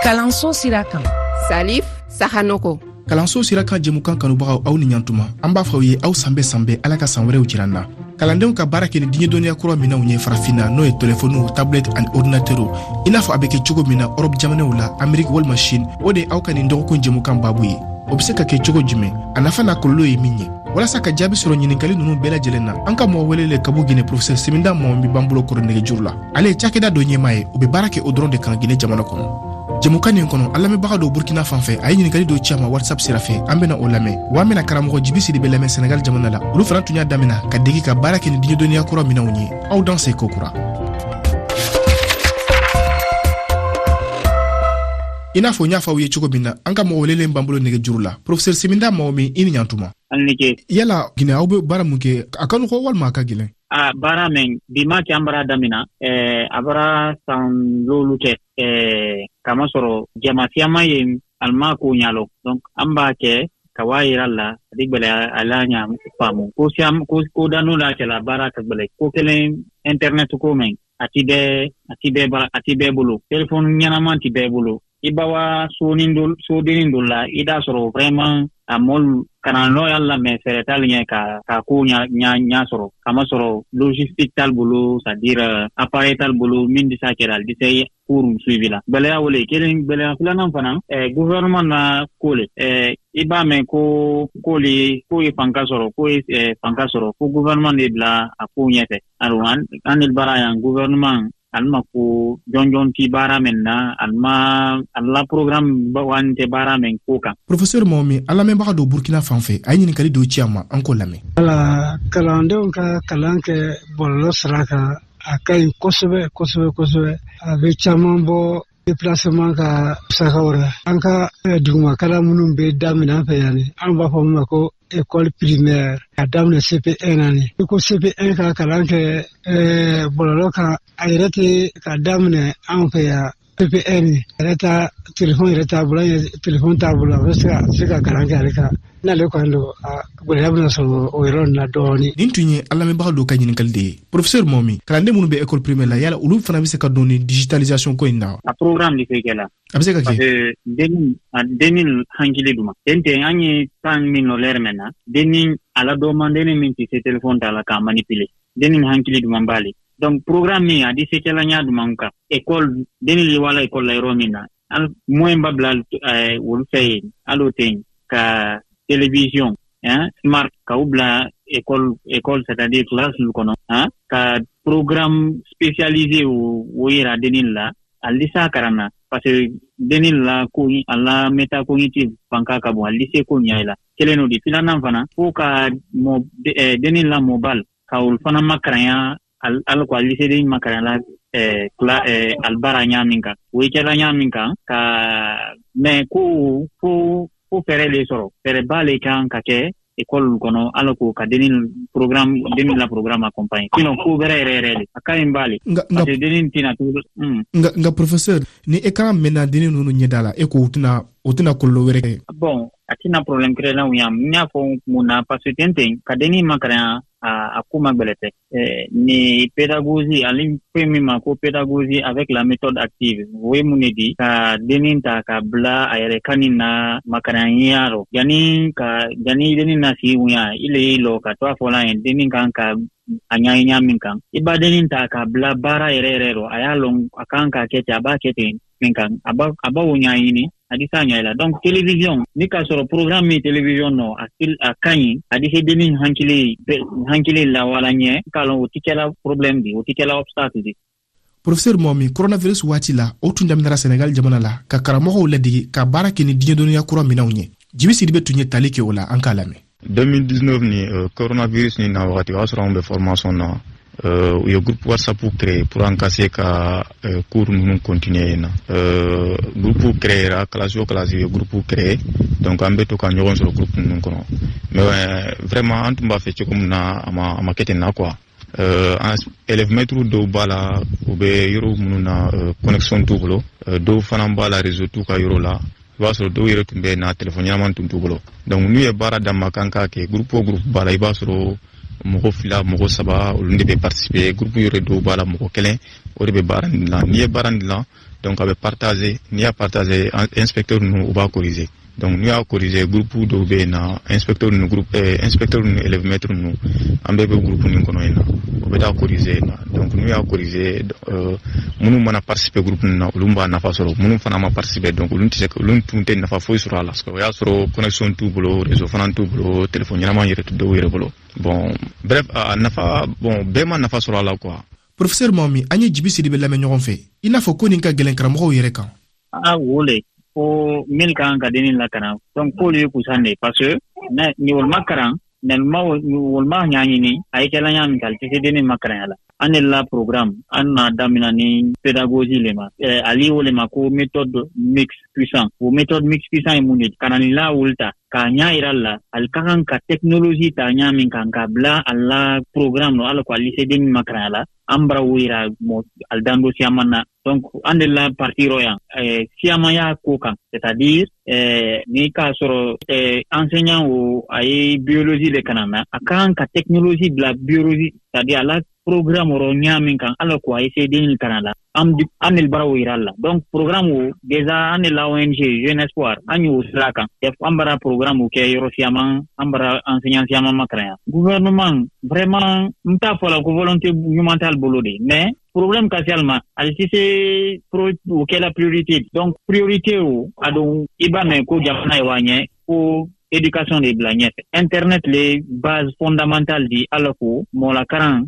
Kalanso sira kan, Salif Sahanoko. Kalanso sira kan jɛmukan kanubagaw, aw ni ɲantuma. An b'a fɔ aw ye aw sanbɛ sanbɛ, Ala ka san wɛrɛw jira an na. Kalandenw ka baara kɛ ni diɲɛ dɔnniya kura minɛnw ye Farafinna, n'o ye telefɔniw, tablɛt ani ordinatɛriw, i n'a fɔ a bɛ kɛ cogo min na Ɔrɔpu jamanaw la, Ameriki walima Chine, o de ye aw ka nin dɔgɔkun jɛmukan babu ye. O bɛ se ka kɛ cogo jumɛn? A nafa n'a kɔlɔlɔ ye min ye? Walasa ka jaabi sɔrɔ ɲininkali ninnu bɛɛ lajɛlen na, an ka mɔgɔ welelen ka bɔ Gine, professeur Seminda Mɔmi b'an bolo kɔrɔ nɛgɛjuru la. Ale ye cakɛda dɔ ɲɛmaa ye, o bɛ baara kɛ o dɔrɔn de kan Gine jamana kɔnɔ. Jɛmukan nin kɔnɔ, an lamɛnbaga dɔ Burkina fan fɛ, a ye ɲininkali dɔ ci a ma WhatsApp sira fɛ, an bena o lamɛn. Wa an bena karamɔgɔ Jibi Sidibe lamɛn Senegal jamana la. Olu fana tun y'a damina ka degi ka baara kɛ ni diɲɛ dɔnniya kura minɛnw ye. Aw danse kokura. I n'a fɔ n y'a fɔ aw ye cogo min na, an ka mɔgɔ welelen b'an bolo nɛgɛjuru la, professeur Seminda Mɔmi, i ni ɲantuma. Yala Gine, aw bɛ baara mun kɛ, a ka nɔgɔ walima a ka gɛlɛn? A baara mɛn bi ma kɛ, an bara damina a bara san lolu kɛ, k'a masɔrɔ jama siyaman ye ali ma ko ɲa lɔn. Donc an b'a kɛ ka waa yira la, a di gwɛlɛya a la ɲa faamu ko siyam ko ko danu la kɛla baara ka gwɛlɛ. Ko kelen, internet ko mɛn a ti bɛɛ a ti bɛɛ bara, a ti bɛɛ bolo, telefɔni ɲɛnaman ti bɛɛ bolo. I ba wa sonin dɔ sodennin dɔ la, i d'a sɔrɔ vraiment a mɔlu karanlɔ y'a lamɛn fɛɛrɛ t'ale ɲɛ ka ko ɲa ɲa ɲa sɔrɔ, kamasɔrɔ logistique t'ale bolo, c'est à dire appareil t'ale bolo min di s'a kɛra, ali di se cours suivi la. Gwɛlɛya wo le kelen. Gwɛlɛya filanan fana, gouvernement na ko le. I b'a mɛn ko ko le ko ye fanka sɔrɔ, ko ye fanka sɔrɔ, ko gouvernement de bila a ko ɲɛfɛ. Alors an ni baara yan, gouvernement ali ma ko jɔnjɔn ti baara min na, ali ma ali la programme wan tɛ baara min ko kan. Professeur Mɔmi, an lamɛnbaga dɔ Burkina fan fɛ, a ye ɲininkali dɔ ci a ma, an k'o lamɛn. Wala, kalandenw ka kalan kɛ bɔlɔlɔ sira kan, a ka ɲi kosɛbɛ kosɛbɛ kosɛbɛ. A bɛ caman bɔ déplacement ka musakaw la. An ka dugumakalan minnu bɛ daminɛ an fɛ yan, an b'a fɔ min ma ko école primaire, ka daminɛ CP1 na, ni i ko CP1 ka kalan kɛ bɔlɔlɔ kan, a yɛrɛ tɛ ka daminɛ anw fɛ yan CP1 yɛrɛ ta, telefɔni yɛrɛ t'a bolo, telefɔni t'a bolo, a bɛ se ka kalan kɛ ale kan. N'ale kɔni don, a gɛlɛya bɛna sɔrɔ o yɔrɔ nin na dɔɔnin. Nin tun ye an lamɛnbaga dɔw ka ɲininkali de ye. Professeur Mɔmi, kalanden minnu bɛ école primaire la, yala olu fana bɛ se ka don ni digitalisation ko in na? A programme de se kɛ la. A bɛ se ka kɛ. Parce que dennin a dennin hankili duma ten ten, an ye temps min nɔ lɛrɛ mɛn na, dennin a la dɔman, dennin min tɛ se téléphone ta la k'a manipuler, dennin hankili duman b'ale. Donc programme min a di se kɛla ɲa duman kan école, dennin le wala école la yɔrɔ min na, an moyen ba bila olu fɛ yen, hali o tɛ yen ka télévision, hein, smart ka u bila école, c'est-à-dire classe kɔnɔ, hein, ka programme spécialisé o yira dennin la, ali s'a karan na, parce que dennin la ko a la métacognitive fanka ka bon, ali se ko ɲa la. Kelen o di. Filanan fana, fo ka mɔ dennin la mobile ka olu fana makaranya, ala ko ali se den makaranya la kla albara ɲa min kan, o ye kɛla ɲa min kan ka mais ko fo fɛɛrɛ le sɔrɔ, fɛɛrɛba le kan ka kɛ école kɔnɔ, ala ko ka dennin programme, dennin la programme accompagner, sinon ko bɛrɛ yɛrɛ yɛrɛ le a ka ɲi b'ale, parce que dennin tɛna to. Nka professeur, ni écran mɛnna dennin ninnu ɲɛda la, e ko o tɛna kɔlɔlɔ wɛrɛ kɛ? Bon, a tɛna problème créer la yan. N y'a fɔ mun na? Parce que ten ten ka dennin makaranya, a ko ma gbɛlɛ tɛ. Ni pédagogie, ale fɛn min ma ko pédagogie avec la méthode active, o ye mun de di? Ka dennin ta ka bila a yɛrɛ kanin na makaranya rɔ, yanni dennin na sigi wuya i le y'i lɔ ka to a fɔla ye dennin kan ka a ɲa ɲa min kan. I b'a dennin ta ka bila baara yɛrɛ yɛrɛ rɔ, a y'a lɔn a kan ka kɛ ten, a b'a kɛ ten min kan, a b'a o ɲaɲini, a di s'a ɲɛ la. Donc télévision ni k'a sɔrɔ programme min télévision nɔ, a ka ɲi, a di se dennin hankili lawala ɲɛ k'a lɔn, o ti kɛla problème di, o ti kɛla obstacle di. Professeur Mɔmi, coronavirus waati la, o tun daminɛra Senegal jamana la ka karamɔgɔw ladege ka baara kɛ ni diɲɛ dɔnniya kura minɛnw ye. Jibi Sidibe tun ye tali kɛ o la, an k'a lamɛn. 2019 ni coronavirus ni na wagati, o y'a sɔrɔ anw bɛ formation na. U ye groupe WhatsApp créé pour an ka se ka cours ninnu continuer yen na. Groupe créera, classe o classe ye groupe créé, donc an bɛ to ka ɲɔgɔn sɔrɔ groupe ninnu kɔnɔ. Mais vraiment, an tun b'a fɛ cogo min na, a ma kɛ ten na quoi. An élève maître dɔw b'a la, u bɛ yɔrɔ minnu na, connexion t'u bolo. Dɔw fana b'a la, réseau t'u ka yɔrɔ la. I b'a sɔrɔ dɔw yɛrɛ tun bɛ na, téléphone ɲɛnama tun t'u bolo. Donc n'u ye baara d'an ma k'an k'a kɛ, groupe o groupe b'a la, i b'a sɔrɔ mɔgɔ fila, mɔgɔ saba, olu de bɛ participer. Groupe yɛrɛ dɔw b'a la, mɔgɔ kelen o de bɛ baara nin dilan. N'i ye baara nin dilan, Donc a bɛ partager, n'i y'a partager, inspecteur ninnu u b'a corriger. Donc n'u y'a corriger, groupe dɔw bɛ yen na, inspecteur ninnu, groupe inspecteur ninnu, élève maître ninnu, an bɛɛ bɛ groupe nin kɔnɔ yen na, o bɛ taa corriger yen na. Donc n'u y'a corriger, minnu mana participer groupe ninnu na, olu b'a nafa sɔrɔ. Minnu fana ma participer, donc olu tɛ se, olu tun tɛ nafa foyi sɔrɔ a la, parce que o y'a sɔrɔ connexion t'u bolo, réseau fana t'u bolo, téléphone ɲɛnama yɛrɛ tɛ dɔw yɛrɛ bolo. Bon, bref, a nafa, bon, bɛɛ ma nafa sɔrɔ a la quoi. Professeur Mami, an ye Jibi Sidibe lamɛn ɲɔgɔn fɛ. I n'a fɔ ko nin ka gɛlɛn karamɔgɔw yɛrɛ kan. A wo le ko min kan ka dennin lakaran, donc k'olu ye kusan de, parce que ni olu ma karan, olu ma ɲaɲini, a ye kɛla ɲa min kan, ali tɛ se dennin makaranya la. An de la programme an n'a damina ni pédagogie le ma, ali o le ma ko méthode mix puissant. O méthode mix puissant ye mun de? Karanila wolu ta k'a ɲa yira la, ali ka kan ka technologie ta ɲa min kan k'a bila a la programme no ala ko ali se dennin makaranya la. An bara wo yira mɔ ali dando siyaman na. Donc an de la partie rɔ yan, siyamaya ko kan, c'est-à-dire ni k'a sɔrɔ enseignant o a ye biologie le kalan na, a ka kan ka technologie bila biologie, c'est-à-dire a la programme rɔ ɲa min kan ala ko a ye se den kalan la, an de bara wo yira la. Donc programme o déjà, an de la ONG Jeune Espoir, an y'o sira kan, an bara programme kɛ yɔrɔ siyaman, an bara enseignant siyaman makaranya. Gouvernement vraiment, n t'a fɔ la ko volonté ɲuman t'ale bolo de, mais problème ka se ale ma, ale tɛ se o kɛla priorité. Donc priorité o a don, i b'a mɛn ko jamana ye wa ɲɛ ko éducation de bila ɲɛfɛ, internet le base fondamentale di ala ko mɔlakaran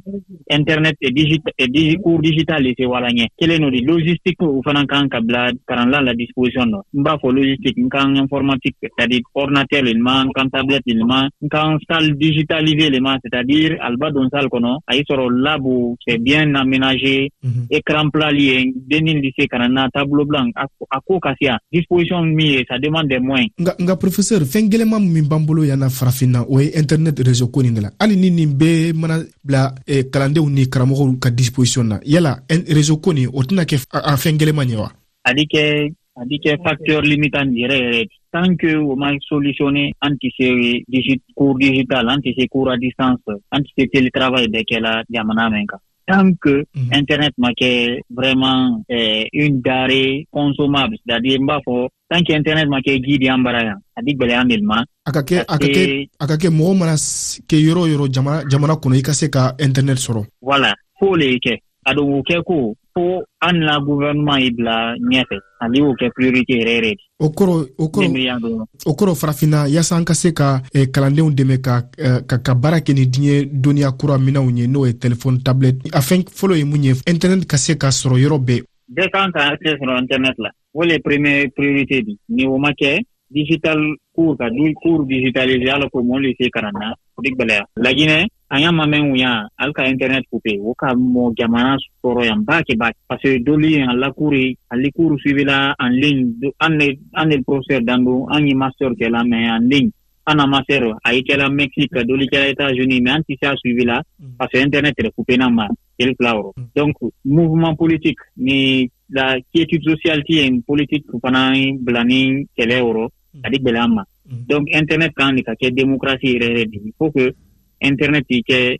internet et et cours digital de se wala ɲɛ. Kelen no di logistique o fana kan ka bila karanla la disposition dɔ. N b'a fɔ logistique, n kan informatique, c'est-à-dire ordinateur le ma, n kan tablette le ma, n kan salle digitalisée le ma, c'est-à-dire aliba don salle kɔnɔ, a y'i sɔrɔ lab c'est bien aménagé, écran plat li ye, dennin di se ka na tableau blanc, a ko ka se disposition min ye, ça demande des moyens. Nka professeur, fɛn gɛlɛman min b'an bolo yan na farafinna, o ye internet réseau ko nin de la. Hali ni nin bɛɛ mana bila kalandenw ni karamɔgɔw ka disposition na, yala réseau ko nin o tɛna kɛ a fɛn gɛlɛman ye wa? A di kɛ facteur limitant yɛrɛ yɛrɛ. Tant que o ma solutionné, an tɛ se cours digital, an tɛ se cours à distance, an tɛ se télétravail bɛɛ kɛla jamana min kan, tant que internet ma kɛ vraiment une denrée consommable, c'est-à-dire n b'a fɔ tant que internet ma kɛ ji di an bara yan, a di gwɛlɛya de ma. A ka kɛ mɔgɔ mana kɛ yɔrɔ o yɔrɔ jamana kɔnɔ, i ka se ka internet sɔrɔ. Voilà, fo le kɛ a don, o kɛ ko fo an la gouvernement y'i bila ɲɛfɛ, ale y'o kɛ priorité yɛrɛ yɛrɛ. O kɔrɔ farafinna, yaasa an ka se ka kalandenw dɛmɛ ka baara kɛ ni diɲɛ dɔnniya kura minɛnw ye, n'o ye téléphone, tablette, a fɛn fɔlɔ ye mun ye? Internet ka se ka sɔrɔ yɔrɔ bɛɛ. Bɛɛ kan ka accès sɔrɔ internet la, o le premier priorité di. Ni o ma kɛ, digital cours ka du cours digitalisé ala ko mɔlu se karan na, o di gwɛlɛya. Laginɛ an y'a ma mɛn wuya, ali ka internet coupé, o ka mɔ jamana sɔrɔ yan ba kɛ ba, parce que dolu ye a la cours, ali cours suivi la en ligne. An ne professeur dando, an ye master kɛ la, mais en ligne. An na master a ye kɛla Mexique, dolu kɛla États-Unis, mais an tɛ se a suivi la parce que internet yɛrɛ coupé na ma kelen fila yɔrɔ. Donc mouvement politique ni la quiétude sociale ti yen, politique fana bila ni kɛlɛ yɔrɔ, a di gwɛlɛya ma. Donc internet kan de ka kɛ démocratie yɛrɛ yɛrɛ de. Il faut que internet yi kɛ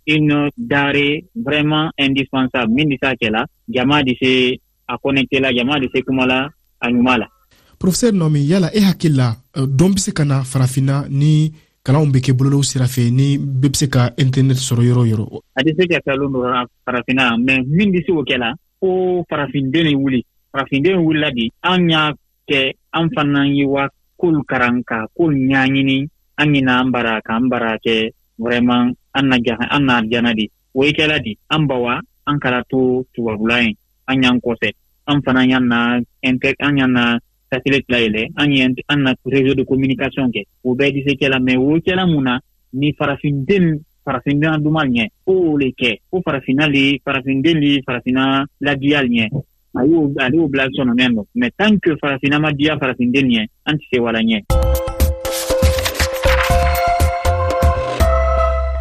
une denrée vraiment indispensable min di se a kɛ la, jama di se a connecté la, jama di se kuma la a ɲuman la. Professeur Nomi, yala e hakili la, dɔn bɛ se ka na farafinna ni kalanw bɛ kɛ bɔlɔlɔw sira fɛ, ni bɛɛ bɛ se ka internet sɔrɔ yɔrɔ o yɔrɔ? A tɛ se ka kɛ lon dɔ farafinna, mais min bɛ se o kɛ la, ko farafinden ye wuli, farafinden wulila di, an y'a kɛ, an fana ye wa k'olu karan ka k'olu ɲaɲini, an ɲina an bara k'an bara kɛ vraiment an na jahan, an na jana di. O ye kɛla di an bawa, an kɛra to tubabula ye, an y'an kɔfɛ, an fana y'an na inter, an y'an na satellite layɛlɛ, an ye an na réseau de communication kɛ, o bɛɛ di se kɛla. Mais o kɛla mun na ni farafinden duman ɲɛ ko o le kɛ, ko farafinna le, farafinden le, farafinna ladiya ɲɛ, a y'o ale y'o bila sɔnɔnɛ nɔ. Mais tant que farafinna ma diya farafinden ɲɛ, an tɛ se wala ɲɛ.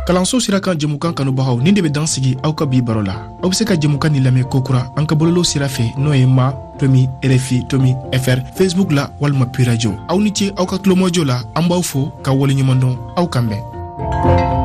Kalanso sira kan jɛmukan kanubagaw, nin de bɛ dan sigi aw ka bi baro la. Aw be se ka jɛmukan nin lamɛn kokura an ka bɔlɔlɔ sira fɛ, n'o ye ma tomi RFI tomi fr, Facebook la walima Pi Radio. Aw ni ce aw ka tulomajɔ la. An b'aw fo ka waleɲuman dɔn. Aw kan bɛn.